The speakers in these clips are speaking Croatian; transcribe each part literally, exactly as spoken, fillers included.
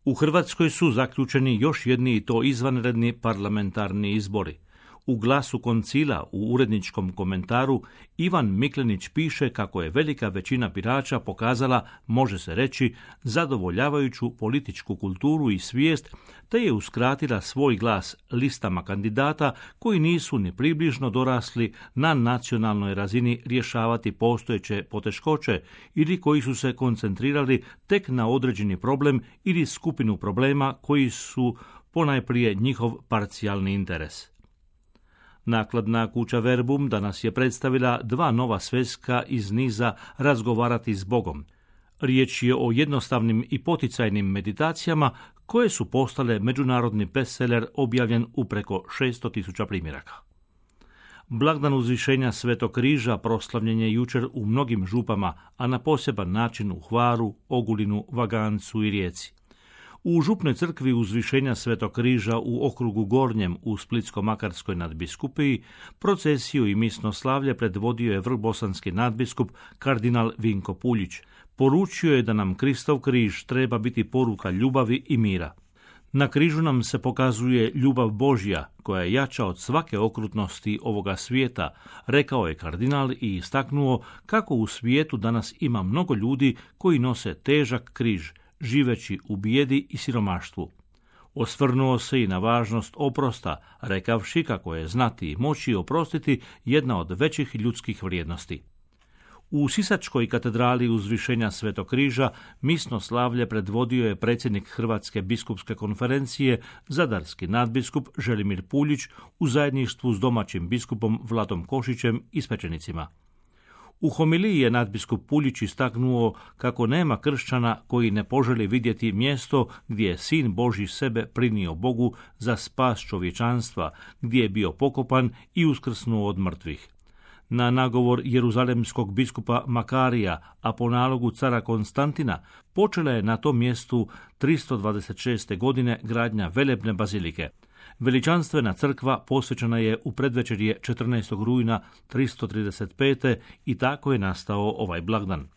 U Hrvatskoj su zaključeni još jedni i to izvanredni parlamentarni izbori. U Glasu koncila u uredničkom komentaru Ivan Miklenić piše kako je velika većina birača pokazala, može se reći, zadovoljavajuću političku kulturu i svijest, te je uskratila svoj glas listama kandidata koji nisu ni približno dorasli na nacionalnoj razini rješavati postojeće poteškoće ili koji su se koncentrirali tek na određeni problem ili skupinu problema koji su ponajprije njihov parcijalni interes. Nakladna kuća Verbum danas je predstavila dva nova sveska iz niza Razgovarati s Bogom. Riječ je o jednostavnim i poticajnim meditacijama koje su postale međunarodni bestseller objavljen u preko šesto tisuća primjeraka. Blagdan uzvišenja Svetog križa proslavljen je jučer u mnogim župama, a na poseban način u Hvaru, Ogulinu, Vagancu i Rijeci. U župnoj crkvi uzvišenja Svetog križa u okrugu Gornjem u Splitsko-makarskoj nadbiskupiji procesiju i misno slavlje predvodio je vrbosanski nadbiskup kardinal Vinko Puljić. Poručio je da nam Kristov križ treba biti poruka ljubavi i mira. Na križu nam se pokazuje ljubav Božja, koja je jača od svake okrutnosti ovoga svijeta, rekao je kardinal i istaknuo kako u svijetu danas ima mnogo ljudi koji nose težak križ, živeći u bijedi i siromaštvu. Osvrnuo se i na važnost oprosta, rekavši kako je znati i moći oprostiti jedna od većih ljudskih vrijednosti. U Sisačkoj katedrali uzvišenja Svetog križa misno slavlje predvodio je predsjednik Hrvatske biskupske konferencije, zadarski nadbiskup Želimir Puljić u zajedništvu s domaćim biskupom Vladom Košićem i svećenicima. U homiliji je nadbiskup Puljić istaknuo kako nema kršćana koji ne poželi vidjeti mjesto gdje je Sin Božji sebe prinio Bogu za spas čovječanstva, gdje je bio pokopan i uskrsnuo od mrtvih. Na nagovor jeruzalemskog biskupa Makarija, a po nalogu cara Konstantina, počela je na tom mjestu tristo dvadeset šeste. godine gradnja velebne bazilike. Veličanstvena crkva posvećena je u predvečerje četrnaestog rujna tristo trideset pete. i tako je nastao ovaj blagdan.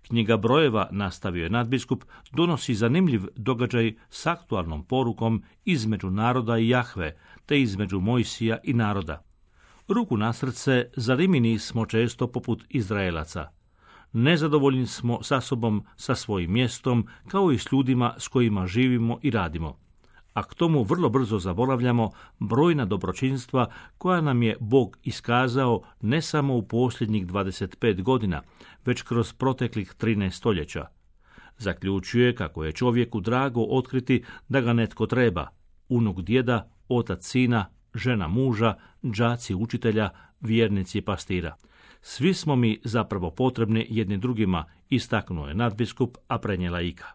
Knjiga brojeva, nastavio je nadbiskup, donosi zanimljiv događaj s aktualnom porukom između naroda i Jahve, te između Mojsija i naroda. Ruku na srce, zarimini smo često poput Izraelaca. Nezadovoljni smo sa sobom, sa svojim mjestom, kao i s ljudima s kojima živimo i radimo. A k tomu vrlo brzo zaboravljamo brojna dobročinstva koja nam je Bog iskazao ne samo u posljednjih dvadeset pet godina, već kroz proteklih trinaest stoljeća. Zaključuje kako je čovjeku drago otkriti da ga netko treba, unuk djeda, otac sina, žena muža, đaci učitelja, vjernici pastira. Svi smo mi zapravo potrebni jedni drugima, istaknuo je nadbiskup, a prenijela Ika.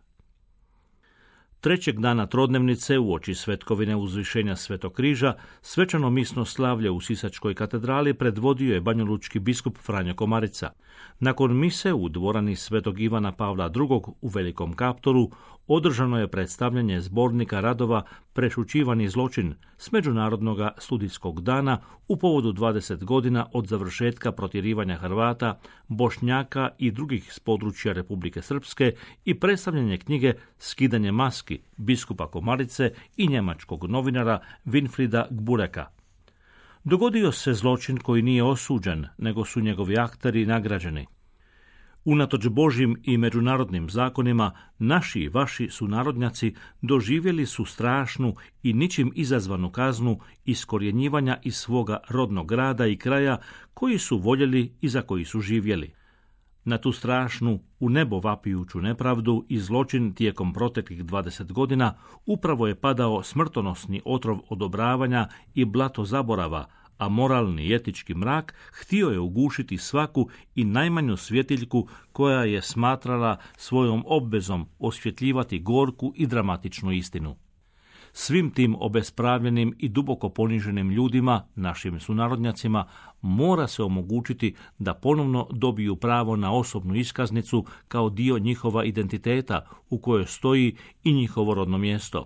Trećeg dana trodnevnice uoči svetkovine uzvišenja Svetog križa svečano misno slavlje u Sisačkoj katedrali predvodio je banjalučki biskup Franjo Komarica. Nakon mise u dvorani Svetog Ivana Pavla drugog u Velikom Kaptolu održano je predstavljanje zbornika radova Prešućivani zločin s Međunarodnog studijskog dana u povodu dvadeset godina od završetka protjerivanja Hrvata, Bošnjaka i drugih s područja Republike Srpske i predstavljanje knjige Skidanje maski biskupa Komarice i njemačkog novinara Winfrida Gbureka. Dogodio se zločin koji nije osuđen, nego su njegovi akteri nagrađeni. Unatoč Božjim i međunarodnim zakonima, naši i vaši sunarodnjaci doživjeli su strašnu i ničim izazvanu kaznu iskorjenjivanja iz svoga rodnog grada i kraja koji su voljeli i za koji su živjeli. Na tu strašnu, u nebo vapijuću nepravdu i zločin tijekom proteklih dvadeset godina upravo je padao smrtonosni otrov odobravanja i blato zaborava, a moralni i etički mrak htio je ugušiti svaku i najmanju svjetiljku koja je smatrala svojom obvezom osvjetljivati gorku i dramatičnu istinu. Svim tim obespravljenim i duboko poniženim ljudima, našim sunarodnjacima, mora se omogućiti da ponovno dobiju pravo na osobnu iskaznicu kao dio njihova identiteta u kojoj stoji i njihovo rodno mjesto.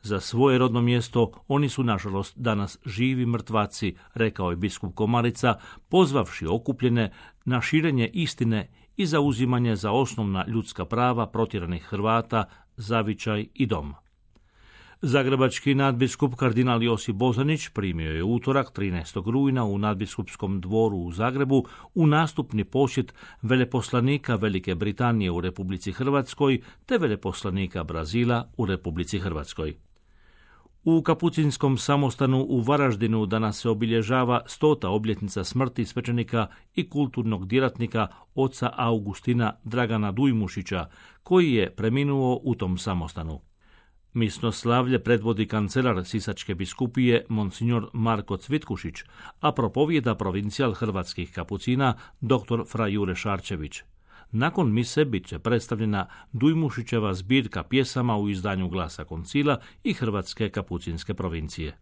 Za svoje rodno mjesto oni su, nažalost, danas živi mrtvaci, rekao je biskup Komarica, pozvavši okupljene na širenje istine i zauzimanje za osnovna ljudska prava protjeranih Hrvata, zavičaj i dom. Zagrebački nadbiskup kardinal Josip Bozanić primio je utorak trinaestog rujna u nadbiskupskom dvoru u Zagrebu u nastupni posjet veleposlanika Velike Britanije u Republici Hrvatskoj te veleposlanika Brazila u Republici Hrvatskoj. U Kapucinskom samostanu u Varaždinu danas se obilježava stota obljetnica smrti svećenika i kulturnog djelatnika oca Augustina Dragana Dujmušića, koji je preminuo u tom samostanu. Misno slavlje predvodi kancelar Sisačke biskupije monsignor Marko Cvitkušić, a propovijeda provincijal hrvatskih kapucina dr. fra Jure Šarčević. Nakon mise bit će predstavljena Dujmušićeva zbirka pjesama u izdanju Glasa koncila i Hrvatske kapucinske provincije.